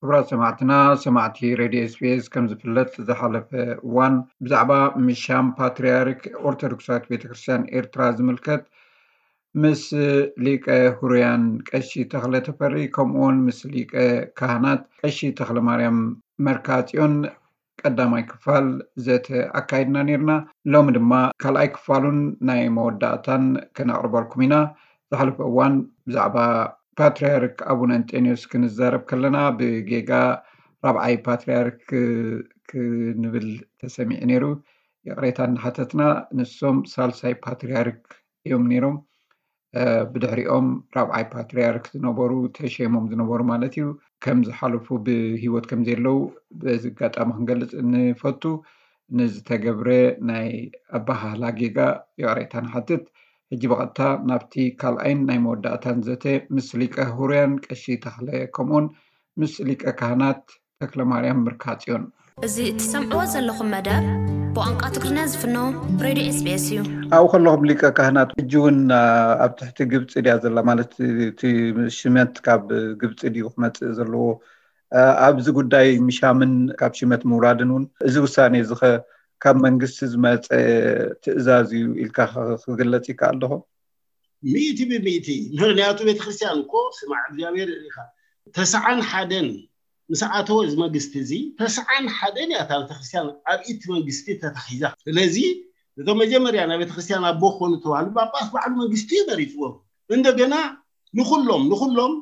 ክቡራት ሰማዕትና፣ ሰማዕቲ ሬድዮ ኤስቢኤስ፣ ከም ዝፍለጥ ዝሓለፈ እዋን ብዛዕባ ምሻም ፓትርያርክ ኦርቶዶክሳዊት ቤተክርስትያን ኤርትራ ዝምልከት ምስ ሊቀ ሁሩያን ቀሺ ተኽለ ተፈሪ ከምኡውን ምስ ሊቀ ካህናት ቀሺ ተኽለ ማርያም መርካጽዮን ቀዳማይ ክፋል ዘተ ኣካይድና ነርና። ሎሚ ድማ ካልኣይ ክፋሉን ናይ መወዳእታን ከነቕርበልኩም ኢና። ዝሓለፈ እዋን ብዛዕባ ፓትርያርክ ኣቡነ እንጠንዮስ ክንዛረብ ከለና ብጌጋ ራብዓይ ፓትርያርክ ክንብል ተሰሚዑ ነይሩ። ይቕሬታ እናሓተትና፣ ንሶም ሳልሳይ ፓትርያርክ እዮም ነይሮም። ብድሕሪኦም ራብዓይ ፓትርያርክ ዝነበሩ፣ ተሸይሞም ዝነበሩ ማለት እዩ፣ ከም ዝሓለፉ፣ ብህይወት ከም ዘለዉ በዚ ኣጋጣሚ ክንገልጽ ንፈቱ። ንዝተገብረ ናይ ኣበሃህላ ጌጋ ይቕሬታ ንሓትት። ሕጂ ብቐጥታ ናብቲ ካልኣይን ናይ መወዳእታን ዘተ ምስ ሊቀ ሁሩያን ቀሺ ተኽለ ከምኡን ምስ ሊቀ ካህናት ተክለ ማርያም ምርካጽዮን። እዚ እትሰምዕዎ ዘለኹም መደብ ብቋንቋ ትግርኛ ዝፍኖ ሬድዮ ኤስቢኤስ እዩ። ኣብኡ ከለኹም ሊቀ ካህናት፣ ሕጂ እውን ኣብ ትሕቲ ግብፂ ድያ ዘላ? ማለት እቲ ሽመት ካብ ግብፂ ድዩ ክመፅእ ዘለዎ? ኣብዚ ጉዳይ ምሻምን ካብ ሽመት ምውራድን እውን፣ እዚ ውሳኔ እዚ ኸ ካብ መንግስቲ ዝመፀ ትእዛዝ እዩ ኢልካ ክግለፅ ይከኣል ዶ? ሚእቲ ብሚእቲ። ምኽንያቱ ቤተክርስትያን እኮ ስማዕ እግዚኣብሔር ኢኻ። ተስዓን ሓደን ምስ ኣተወ እዚ መንግስቲ እዚ፣ ተስዓን ሓደን እያ እታ ቤተክርስትያን ኣብ ኢድ መንግስቲ ተታሒዛ። ስለዚ እቶም መጀመርያ ናይ ቤተክርስትያን ኣቦ ክኾኑ ዝተባህሉ ጳጳስ ባዕሉ መንግስቲ እዩ መሪፅዎም። እንደገና ንኹሎም ንኹሎም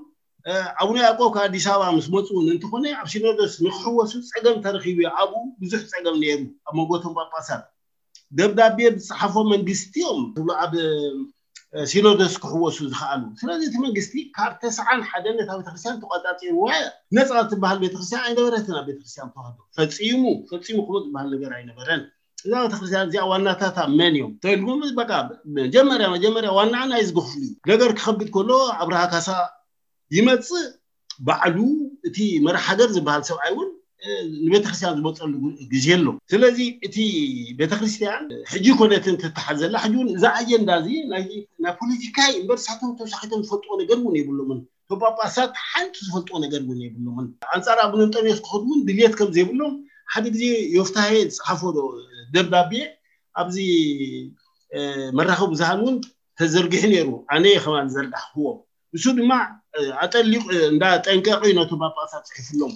ኣቡነ ያዕቆብ ካብ ኣዲስ ኣበባ ምስ መፁ እውን እንተኾነ ኣብ ሲኖዶስ ንክሕወሱ ፀገም ተረኺቡ እዩ። ኣብኡ ብዙሕ ፀገም ነይሩ ኣብ መንጎ እቶም ጳጳሳት። ደብዳቤ ዝፀሓፎ መንግስቲ እዮም ዝብሉ ኣብ ሲኖዶስ ክሕወሱ ዝኸኣሉ። ስለዚ እቲ መንግስቲ ካብ ተስዓን ሓደን ነታ ቤተክርስትያን ተቆፃፂርዋ እያ። ነፃ ትበሃል ቤተክርስትያን ኣይነበረትን ኣብ ቤተክርስትያን ተዋህዶ። ፈፂሙ ፈፂሙ ከምኡ ዝበሃል ነገር ኣይነበረን። እዛ ቤተክርስትያን እዚኣ ዋናታታ መን እዮም ተልኩም፣ በቃ መጀመርያ መጀመርያ ዋናኣ ናይ ዝግፍሉ ነገር ክኸብድ ከሎ ኣብርሃ ካሳ ይመፅእ። ባዕሉ እቲ መራሕ ሃገር ዝበሃል ሰብኣይ እውን ንቤተክርስትያን ዝመፀሉ ግዜ ኣሎ። ስለዚ እቲ ቤተክርስትያን ሕጂ ኮነትን ትተሓዘላ ሕጂ እውን እዛ ኣጀንዳ እዚ ናይ ፖለቲካ እምበር ሳቶም ተሳሒቶም ዝፈልጥዎ ነገር እውን የብሎምን። ጳጳሳት ሓንቲ ዝፈልጥዎ ነገር እውን የብሎምን። ኣንፃር ኣቡነ እንጠንዮስ ክኸዱ እውን ድልየት ከም ዘይብሎም ሓደ ግዜ ዮፍታሄ ዝፀሓፎ ደብዳቤ ኣብዚ መራኸቢ ብዙሃን እውን ተዘርጊሑ ነይሩ። ኣነ ከማን ዘርጋሕክዎ። ንሱ ድማ ኣጠሊቑ እንዳጠንቀቑ ነቶም ጳጳሳት ፅሒፍሎም።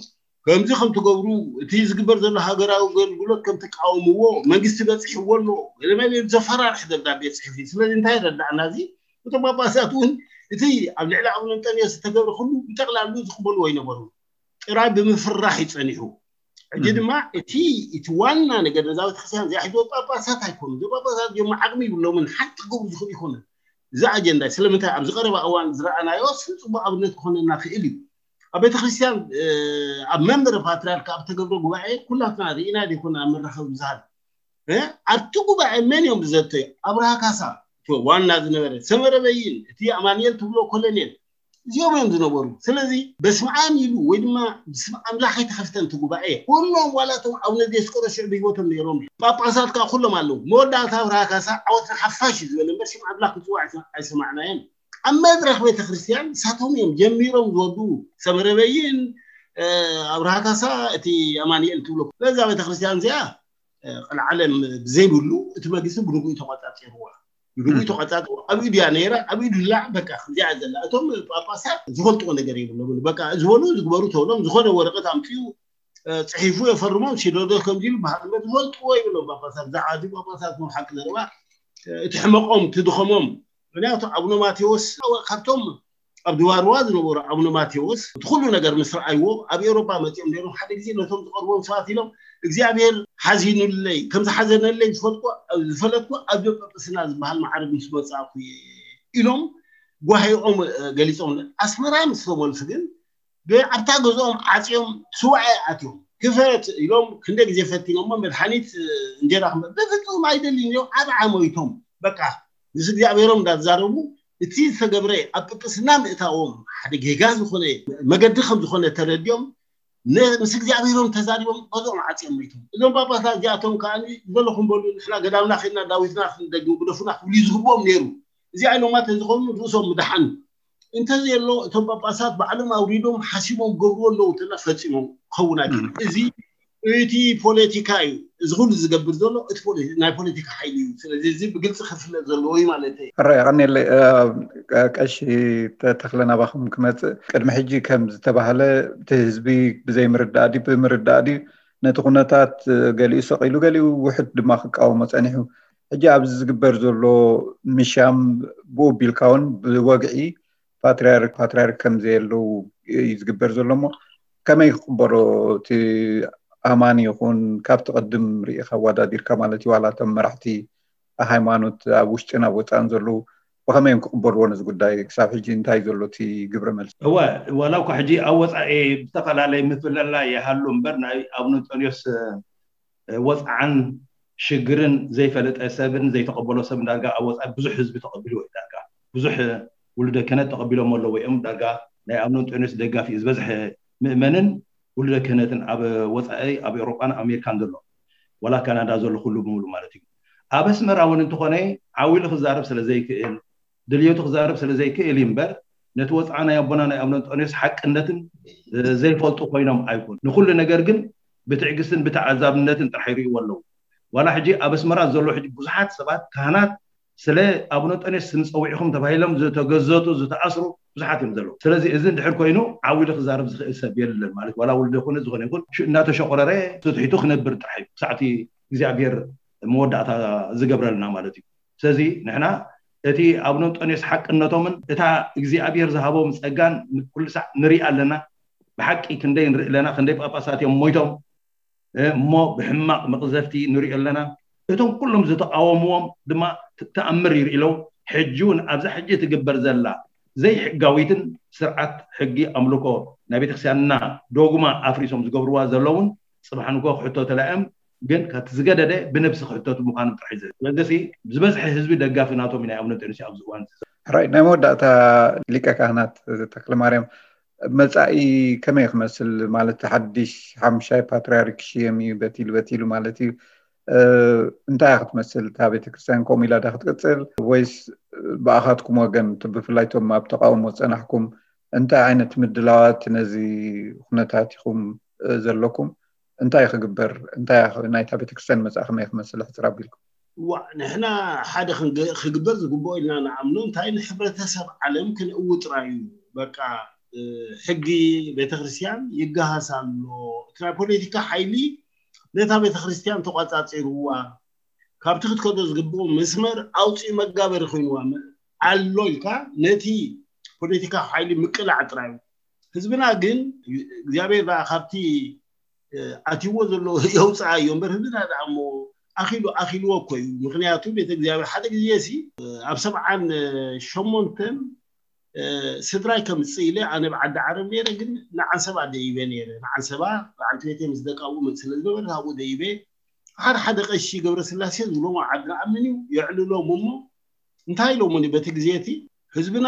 ከምዚ ከም ትገብሩ፣ እቲ ዝግበር ዘሎ ሃገራዊ ኣገልግሎት ከም ትቃወምዎ፣ መንግስቲ በፂሕዎ ኣሎ። ገለመለ ዘፈራርሕ ደብዳቤ ፅሒፉ። ስለዚ እንታይ ይረዳእና እዚ? እቶም ጳጳሳት እውን እቲ ኣብ ልዕሊ ኣቡነ እንጠንዮስ ዝተገብረ ኩሉ ብጠቕላሉ ዝቕበልዎ ኣይነበሩ። ጥራይ ብምፍራሕ ይፀኒሑ። ሕጂ ድማ እቲ እቲ ዋና ነገር ነዛ ቤተክርስትያን እዚኣ ሒዝዎ ጳጳሳት ኣይኮኑ። እዞም ጳጳሳት እዮም ዓቕሚ ይብሎምን ሓንቲ ክገብሩ ዝኽእሉ ይኮኑ። እዚ ኣጀንዳ ስለምንታይ ኣብዚ ቀረባ እዋን ዝረኣናዮ ስም ፅቡቅ ኣብነት ክኾነና ክእል እዩ። ኣብ ቤተክርስትያን ኣብ መንበረ ፓትርያርክ ኣብ ተገብረ ጉባኤ ኩላትና ርኢና ዘይኮና ኣብ መራኸቢ ብዙሃን ኣብቲ ጉባኤ መን እዮም ዝዘተዩ? ኣብርሃ ካሳ ዋና ዝነበረ፣ ሰመረ በይን፣ እቲ ኣማንኤል ትብሎ ኮሎኔል፣ እዚኦም እዮም ዝነበሩ። ስለዚ በስመ ኣብ ኢሉ ወይ ድማ ብስም ኣምላኽ ኣይተኸፍተን እቲ ጉባኤ። ኩሎም ዋላ እቶም ኣቡነ ዲዮስቆሮስ ሽዑ ብህይወቶም ነይሮም። ጳጳሳት ከዓ ኩሎም ኣለዉ። መወዳእታ ኣብርሃ ካሳ ዓወት ንሓፋሽ እዩ ዝበለ እምበር ሽም ኣምላኽ ክፅዋዕ ኣይሰማዕናዮን። ኣብ መድረኽ ቤተክርስትያን ንሳቶም እዮም ጀሚሮም ዝወዱ። ሰመረ በይን፣ ኣብርሃ ካሳ፣ እቲ ኣማንኤል ትብሎ ነዛ ቤተክርስትያን እዚኣ ቀልዓለም ብዘይብሉ እቲ መንግስቲ ብንጉኡ ተቆፃፂርዋ። ብንጉኡ ተቆፃፂርዋ። ኣብ ኢዱ እያ ነይራ፣ ኣብ ኢዱ ላ በቃ ከምዚኣ ዘላ። እቶም ጳጳሳት ዝፈልጥዎ ነገር የብሎምን። በቃ ዝበሉ ዝግበሩ ተብሎም ዝኾነ ወረቀት ኣምፅኡ ፅሒፉ የፈርሞም። ሲኖዶስ ከምዚ ኢሉ በሃል እምበር ዝፈልጥዎ የብሎም ጳጳሳት። ብዛዕባ እዚ ጳጳሳት ከም ሓቂ ዘረባ እቲ ሕመቆም ትድኸሞም። ምክንያቱ ኣቡነ ማቴዎስ ካብቶም ኣብ ድዋርዋ ዝነበሩ ኣቡነ ማቴዎስ እቲ ኩሉ ነገር ምስ ረኣይዎ ኣብ ኤውሮጳ መፂኦም ነይሮም። ሓደ ግዜ ነቶም ዝቐርቦም ሰባት ኢሎም እግዚኣብሔር ሓዚኑለይ፣ ከም ዝሓዘነለይ ዝፈለጥኩ ኣብዚ ጳጳስና ዝበሃል ማዕረግ ምስ መፃእኩ እየ ኢሎም ጓሂኦም ገሊፆም። ኣስመራ ምስ ተመልሱ ግን ኣብታ ገዝኦም ዓፅዮም ስዋኤ ኣትዮም። ክፈት ኢሎም ክንደ ግዜ ፈቲኖሞ፣ መድሓኒት እንጀራ ክመ-፣ በፍፁም ኣይደልን እዮም። ኣብ ዓሞይቶም በቃ ምስ እግዚኣብሔሮም እንዳተዛረቡ እቲ ዝተገብረ ኣብ ጵጵስና ምእታዎም ሓደ ጌጋ ዝኾነ መገዲ ከም ዝኾነ ተረዲኦም ነ-፣ ምስ እግዚኣብሔሮም ተዛሪቦም ገዝኦም ዓፅዮም መይቶም። እዞም ጳጳሳት እዚኣቶም ከዓ ዘለኹም በሉ፣ ንሕና ገዳምና ከይድና ዳዊትና ክንደግም ግደፉና ክብሉ ዝግብኦም ነይሩ። እዚኣ ኢሎማ ተዝኾኑ ርእሶም ምድሓኑ። እንተዘየሎ እቶም ጳጳሳት ባዕሎም ኣውሪዶም ሓሲቦም ገብርዎ ኣለዉ እንተና ፈፂሞም ክኸውን ኣይክእል። እዚ እቲ ፖለቲካ እዩ። እዚ ኩሉ ዝገብር ዘሎ እቲ ናይ ፖለቲካ ሓይሊ እዩ። ስለዚ እዚ ብግልፂ ክፍለጥ ዘለዎ እዩ ማለት እዩ። ሕራይ ቀኒለ። ቀሺ ተክለ ናባኹም ክመፅእ ቅድሚ ሕጂ ከም ዝተባህለ እቲ ህዝቢ ብዘይምርዳእ ድዩ ብምርዳእ ድዩ ነቲ ኩነታት ገሊኡ ሰቂሉ ገሊኡ ውሕድ ድማ ክቃወሞ ፀኒሑ። ሕጂ ኣብዚ ዝግበር ዘሎ ምሻም ብኡ ቢልካ እውን ብወግዒ ፓትሪያርክ ፓትሪያርክ ከም ዘየለው እዩ ዝግበር ዘሎ። እሞ ከመይ ክቅበሎ እቲ ኣማኒ ይኹን ካብቲ ቅድም ርኢኻ ኣወዳዲርካ ማለት እዩ ዋላ እቶም መራሕቲ ሃይማኖት ኣብ ውሽጥን ኣብ ወፃእን ዘለዉ ብኸመይ እዮም ክቅበልዎ ነዚ ጉዳይ? ክሳብ ሕጂ እንታይ ዘሎ እቲ ግብረ መልሲ? እወ፣ ዋላ እኳ ሕጂ ኣብ ወፃኢ ብዝተፈላለየ ምፍልላይ ይሃሉ እምበር ናይ ኣቡነ እንጦንዮስ ወፅዓን ሽግርን ዘይፈለጠ ሰብን ዘይተቐበሎ ሰብ ዳርጋ ኣብ ወፃኢ ብዙሕ ህዝቢ ተቐቢልዎ እዩ። ዳርጋ ብዙሕ ውሉደ ክህነት ተቐቢሎም ኣለዎ እዮም። ዳርጋ ናይ ኣቡነ እንጦንዮስ ደጋፊ ዝበዝሐ ምእመንን ውሉደ ክህነትን ኣብ ወፃኢ ኣብ ኤውሮጳን ኣሜሪካን ዘሎ ዋላ ካናዳ ዘሎ ኩሉ ብምሉ ማለት እዩ። ኣብ ኣስመራ እውን እንተኾነ ዓው ኢሉ ክዛረብ ስለ ዘይክእል ድልየቱ ክዛረብ ስለ ዘይክእል እዩ እምበር ነቲ ወፅዓ ናይ ኣቦና ናይ ኣቡነ እንጦንዮስ ሓቅነትን ዘይፈልጡ ኮይኖም ኣይኮኑ። ንኩሉ ነገር ግን ብትዕግስትን ብተዓዛብነትን ጥራሕ ይርእይዎ ኣለዉ። ዋላ ሕጂ ኣብ ኣስመራ ዘሎ ሕጂ ብዙሓት ሰባት ካህናት ስለ ኣቡነ እንጦንዮስ ስም ፀዊዕኹም ተባሂሎም ዝተገዘቱ ዝተኣስሩ ብዙሓት እዮም ዘለዉ። ስለዚ እዚ እንድሕር ኮይኑ ዓው ኢሉ ክዛረብ ዝኽእል ሰብ የለን ማለት ዋላ ውልደ ኮነ ዝኾነ ይኹን ሽእ እናተሸቆረረ ትትሒቱ ክነብር ጥራሕ እዩ ክሳዕቲ እግዚኣብሔር መወዳእታ ዝገብረልና ማለት እዩ። ስለዚ ንሕና እቲ ኣቡነ እንጦንዮስ ሓቅነቶምን እታ እግዚኣብሔር ዝሃቦም ፀጋን ኩሉ ሳዕ ንርኢ ኣለና። ብሓቂ ክንደይ ንርኢ ኣለና፣ ክንደይ ጳጳሳት እዮም ሞይቶም እሞ ብሕማቕ መቕዘፍቲ ንሪኦ ኣለና። እቶም ኩሎም ዝተቃወምዎም ድማ ተኣምር ይርኢ ኣለዉ። ሕጂ እውን ኣብዛ ሕጂ ትግበር ዘላ ዘይሕጋዊትን ስርዓት ሕጊ ኣምልኮ ናይ ቤተክርስትያንና ዶግማ ኣፍሪሶም ዝገብርዋ ዘለውን ፅባሕ ንግሆ ክሕቶ ተላዮም ግን ካብቲ ዝገደደ ብነብሲ ክሕተቱ ምዃኖም ጥራሕ እዩ። ስለዚ ዝበዝሐ ህዝቢ ደጋፊ ናቶም እዩ ናይ ኣቡነ እንጦንዮስ ኣብዚ እዋን። ሕራይ ናይ መወዳእታ ሊቀ ካህናት ተክለ ማርያም መጻኢ ከመይ ክመስል ማለት ሓድሽ ሓምሻይ ፓትርያርክ ክሽየም እዩ በቲሉ በቲሉ ማለት እዩ። እንታይ ክትመስል እታ ቤተክርስትያን ከምኡ ኢላ ዳ ክትቅፅል ወይስ ብኣኻትኩም ወገን ብፍላይ ቶም ኣብ ተቃውሞ ዝፀናሕኩም እንታይ ዓይነት ምድላዋት ነዚ ኩነታት ኢኹም ዘለኩም? እንታይ ክግበር እንታይ ናይታ ቤተክርስትያን መፃ ከመይ ክመስል ሕፅር ኣቢልኩም? ዋ ንሕና ሓደ ክግበር ዝግብኦ ኢልና ንኣምኖ እንታይ ንሕብረተሰብ ዓለም ክንእው ጥራይ እዩ። በቃ ሕጊ ቤተክርስትያን ይገሃስ ኣሎ። እቲ ናይ ፖለቲካ ሓይሊ ነታ ቤተክርስትያን ተቋፃፂርዋ ካብቲ ክትከዶ ዝግብኦ መስመር ኣውፅኡ መጋበሪ ኮይንዋ ኣሎ ኢልካ ነቲ ፖለቲካ ሓይሊ ምቅላዕ ጥራይ እዩ። ህዝብና ግን እግዚኣብሔር ዳ ካብቲ ኣትይዎ ዘሎ የውፅኣ እዩ እምበር ህዝብና ዳ እሞ ኣኪሉ ኣኪልዎ እኮ እዩ። ምክንያቱ ቤተ እግዚኣብሔር ሓደ ግዜ ሲ ኣብ ሰብዓን ሸሞንተን ስድራይ ከምፅእ ኢለ ኣነ ብዓዲ ዓረብ ነይረ ግን ንዓንሰባ ደይበ ነይረ ንዓንሰባ በዓልቲ ቤተይ ምስ ደቃ ውምእ ስለ ዝነበረ ካብኡ ደይበ ሓደ ሓደ ቀሺ ገብረስላሴ ዝብሎም ኣብ ዓድና ኣምን እዩ የዕልሎም እሞ እንታይ ኢሎምኒ በቲ ግዜ እቲ ህዝብና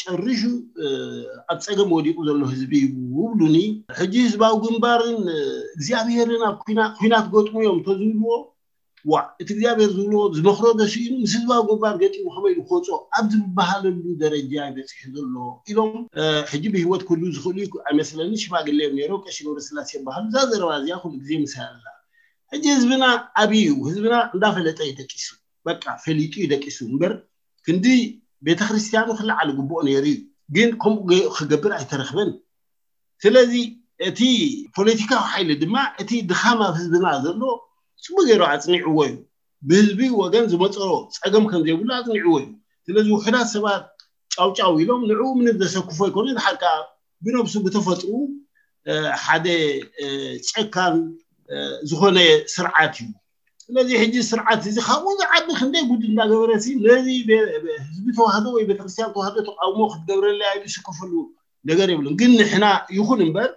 ጨሪሹ ኣብ ፀገም ወዲቁ ዘሎ ህዝቢ እዩ ውብሉኒ ሕጂ ህዝባዊ ግንባርን እግዚኣብሄርን ኣብ ኩናት ገጥሙ እዮም ተዝብልዎ ዋዕ እቲ እግዚኣብሔር ዝብልዎ ዝመኽሮ ደሲኢኑ ምስ ህዝባዊ ግንባር ገጢሙ ከመይ ኢሉ ክወፅኦ ኣብ ዝበሃለሉ ደረጃ ይበፅሒ ዘሎ ኢሎም ሕጂ ብህይወት ክህሉ ዝኽእሉ ኣይመስለኒ ሽማግሌ እዮም ነይሮም ቀሺ ገብረስላሴ ይበሃሉ እዛ ዘረባ እዚኣ ኩሉ ግዜ ምሳይ ኣላ ሕጂ ህዝብና ኣብይ እዩ ህዝብና እንዳፈለጠ እዩ ደቂሱ በቃ ፈሊጡ እዩ ደቂሱ እምበር ክንዲ ቤተክርስትያኑ ክለዓል ግብኦ ነይሩ እዩ ግን ከምኡ ክገብር ኣይተረክበን ስለዚ እቲ ፖለቲካዊ ሓይሊ ድማ እቲ ድኻም ኣብ ህዝብና ዘሎ ፅቡቅ ገይሩ ኣፅኒዕዎ እዩ ብህዝቢ ወገን ዝመፀሮ ፀገም ከም ዘይብሉ ኣፅኒዕዎ እዩ ስለዚ ውሕዳት ሰባት ጫውጫው ኢሎም ንዕኡ ምንም ዘሰክፎ ኣይኮነ ድሓር ከዓ ብነብሱ ብተፈጥሩ ሓደ ጨካን ዝኾነ ስርዓት እዩ ስለዚ ሕጂ ስርዓት እዚ ካብኡ ዝዓቢ ክንደይ ጉድ እንዳገበረ ሲ ነዚ ህዝቢ ተዋህዶ ወይ ቤተክርስትያን ተዋህዶ ተቃውሞ ክትገብረለይ ኣይዱ ዝስከፈሉ ነገር የብሉን ግን ንሕና ይኹን እምበር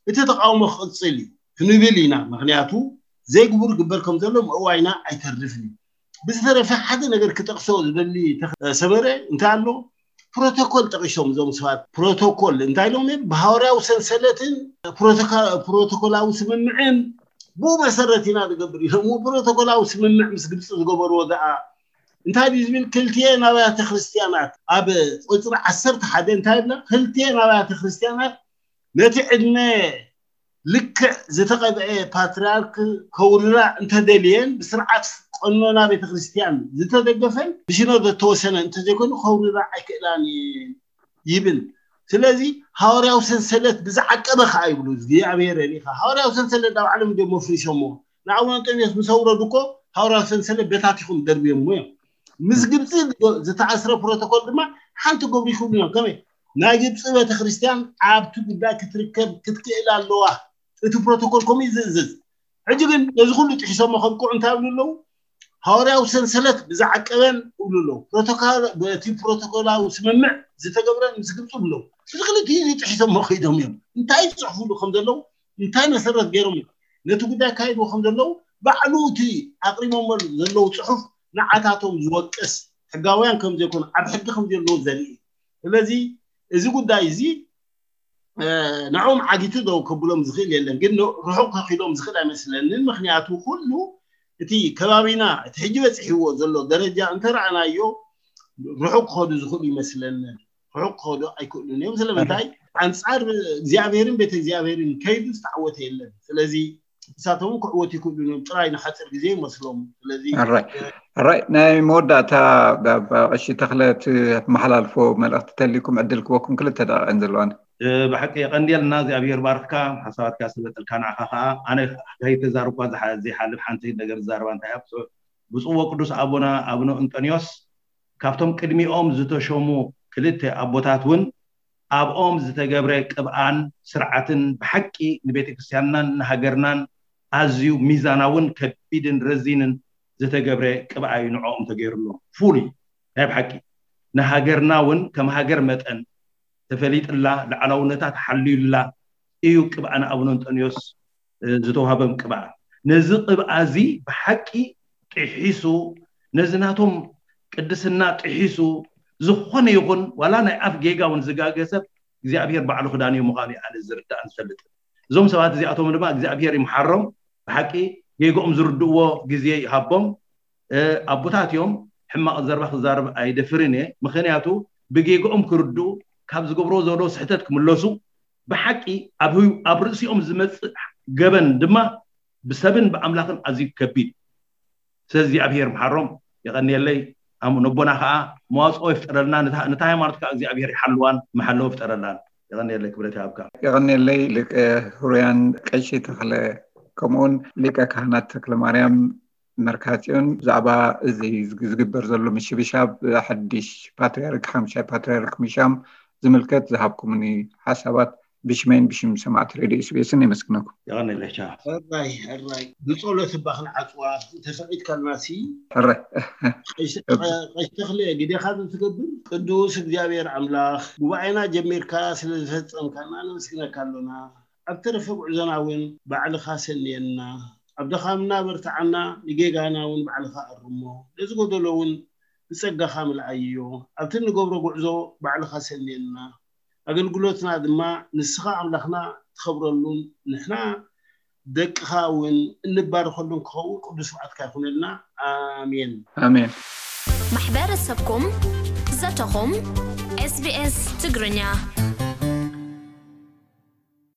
እቲ ተቃውሞ ክቅፅል እዩ ክንብል ኢና ምክንያቱ ዘይግቡር ግበር ከም ዘሎ ምእዋይና ኣይተርፍን እዩ ብዝተረፈ ሓደ ነገር ክጠቅሶ ዝደሊ ሰመረ እንታይ ኣሎ ፕሮቶኮል ጠቂሶም እዞም ሰባት ፕሮቶኮል እንታይ ኢሎም ብሃዋርያዊ ሰንሰለትን ፕሮቶኮላዊ ስምምዕን ብኡ መሰረት ኢና ንገብር ኢሎም ፕሮቶኮላዊ ስምምዕ ምስ ግብፂ ዝገበርዎ ደኣ እንታይ ድዩ ዝብል? ክልቲኤን ኣብያተ ክርስቲያናት ኣብ ቁፅሪ ዓሰርተ ሓደ እንታይ ይብላ? ክልቲኤን ኣብያተ ክርስቲያናት ነቲ ዕድመ ልክዕ ዝተቐብአ ፓትርያርክ ከውርዳ እንተደልየን ብስርዓት ቀኖና ቤተክርስትያን ዝተደገፈን ብሽኖ ዘተወሰነ እንተዘይኮይኑ ከውርዳ ኣይክእላን እየን ይብል። ስለዚ ሃዋርያዊ ሰንሰለት ብዝዓቀበ ከዓ ይብሉ እግዚኣብሔር ሪኢኻ። ሃዋርያዊ ሰንሰለት ናብ ዓለም እንዲዮም መፍሪሶሞ። ንኣቡነ እንጦንዮስ ምስ ኣውረዱ እኮ ሃዋርያዊ ሰንሰለት በታቲኹም ደርብዮሞ እዮም። ምስ ግብፂ ዝተኣስረ ፕሮቶኮል ድማ ሓንቲ ገብሩ ይኽእሉ እዮም። ከመይ ናይ ግብፂ ቤተክርስትያን ኣብቲ ጉዳይ ክትርከብ ክትክእል ኣለዋ። እቲ ፕሮቶኮል ከምኡ እዩ ዝእዝዝ። ሕጂ ግን ነዚ ኩሉ ጥሒሶሞ ከብቅዑ እንታይ ይብሉ ኣለዉ? ሃዋርያዊ ሰንሰለት ብዝዓቀበን ይብሉ ኣለዉ። ፕሮቶኮል በቲ ፕሮቶኮላዊ ስምምዕ ዝተገብረን ምስ ግብፂ ይብሉ ኣለዉ። እዚ ክልቲኡ እዚ ጥሒሶሞ ከይዶም እዮም። እንታይ ይፅሕፉሉ ከም ዘለዉ እንታይ መሰረት ገይሮም እዮም ነቲ ጉዳይ ኣካይድዎ ከም ዘለዉ ባዕሉ እቲ ኣቅሪቦሞ ዘለዉ ፅሑፍ ንዓታቶም ዝወቅስ ሕጋውያን ከም ዘይኮኑ ኣብ ሕጊ ከም ዘለዉ ዘርኢ እዩ። ስለዚ እዚ ጉዳይ እዚ ንዕኦም ዓጊቱ ደው ከብሎም ዝኽእል የለን፣ ግን ርሑቕ ከኺዶም ዝኽእል ኣይመስለንን። ምክንያቱ ኩሉ እቲ ከባቢና እቲ ሕጂ በፂሕዎ ዘሎ ደረጃ እንተረኣናዮ ርሑቕ ክኸዱ ዝኽእሉ ይመስለንን። ርሑቕ ክኸዱ ኣይክእሉን እዮም። ስለምንታይ? ኣንፃር እግዚኣብሔርን ቤተ እግዚኣብሔርን ከይዱ ዝተዓወተ የለን። ስለዚ ንሳቶም ክዕወቱ ይክእሉ እዮም። ጥራይ ንሓፂር ግዜ ይመስሎም። ስለዚ ኣራይ ናይ መወዳእታ ቀሺ ተኽለ ትመሓላልፎ መልእኽቲ ተሊኩም ዕድል ክበኩም ክልተ ደቂቕን ዘለዋን። ብሓቂ የቐንየልና እግዚኣብሔር ባርክካ ሓሳባትካ ስለጠልካ ንዓኻ ከዓ ኣነ ከይተዛርኳ ዘይሓልፍ ሓንቲ ነገር ዝዛረባ እንታይ ኣብ ብፅዎ ቅዱስ ኣቦና ኣቡነ እንጠንዮስ ካብቶም ቅድሚኦም ዝተሸሙ ክልተ ኣቦታት እውን ኣብኦም ዝተገብረ ቅብኣን ስርዓትን ብሓቂ ንቤተ ክርስቲያንናን ንሃገርናን ኣዝዩ ሚዛናውን ከቢድን ረዚንን ዝተገብረ ቅብኣ እዩ ንዕኦም ተገይርሎም። ፉሉይ ናይ ብሓቂ ንሃገርና እውን ከም ሃገር መጠን ተፈሊጥላ ልዓላውነታ ተሓልዩላ እዩ ቅብኣ ንኣቡነ እንጠንዮስ ዝተዋሃበም ቅብኣ። ነዚ ቅብኣ እዚ ብሓቂ ጥሒሱ ነዚ ናቶም ቅድስና ጥሒሱ ዝኾነ ይኹን ዋላ ናይ ኣፍ ጌጋ እውን ዝጋገ ሰብ እግዚኣብሔር ባዕሉ ክዳንዮ ምዃኑ ኣነ ዝርዳእን ዝፈልጥን። እዞም ሰባት እዚኣቶም ድማ እግዚኣብሔር ይምሓሮም። ብሓቂ ጌግኦም ዝርድእዎ ግዜ ይሃቦም። ኣቦታት እዮም። ሕማቕ ዘረባ ክዛረብ ኣይደፍርን እየ። ምክንያቱ ብጌግኦም ክርድኡ ካብ ዝገብርዎ ዘሎ ስሕተት ክምለሱ ብሓቂ ኣብ ርእሲኦም ዝመፅእ ገበን ድማ ብሰብን ብኣምላኽን ኣዝዩ ከቢድ። ስለዚ እግዚኣብሔር ምሓሮም። የቐንየለይ። ነቦና ከዓ መዋፅኦ ይፍጠረልና። ነታ ሃይማኖት ከዓ እግዚኣብሔር ይሓልዋን መሓለዎ ይፍጠረላን። የቐንየለይ። ክብረት ይሃብካ። የቐንየለይ። ሊቀ ሕሩያን ቀሺ ተኽለ ከምኡውን ሊቀ ካህናት ተክለ ማርያም መርካጽዮን ብዛዕባ እዚ ዝግበር ዘሎ ምሽብሻብ ሓድሽ ፓትርያርክ ሓምሻይ ፓትርያርክ ምሻም ዝምልከት ዝሃብኩምኒ ሓሳባት ብሽመይን ብሽም ሰማዕቲ ሬድዮ ኤስቢኤስን የመስግነኩም። የቐንየለይ። ሕራይ ሕራይ ብጸሎት እባ ክንዓጽዋ እንተፈቒድካልናሲ። ሕራይ። ቀሺ ተኽለ ግዴኻ ትገብር። ቅዱስ እግዚኣብሔር ኣምላኽ ጉባኤና ጀሚርካ ስለ ዝፈጸምካና ነመስግነካ ኣሎና። ኣብ ተረፈ ጉዕዞና እውን ባዕልኻ ሰንየና። ኣብ ድኻምና በርትዓና፣ ንጌጋና እውን ባዕልኻ ኣርሞ። ነዚ ጎደሎ እውን ብጸጋኻ ምልኣዮ። ኣብቲ እንገብሮ ጉዕዞ ባዕልኻ ሰንየና። ኣገልግሎትና ድማ ንስኻ ኣምላኽና ትኸብረሉን ንሕና ደቅኻ እውን እንባረኸሉን ክኸውን ቅዱስ ፍቓድካ ይኹነልና። ኣሜን። ኣሜን። ማሕበረሰብኩም ዘተኹም ኤስቢኤስ ትግርኛ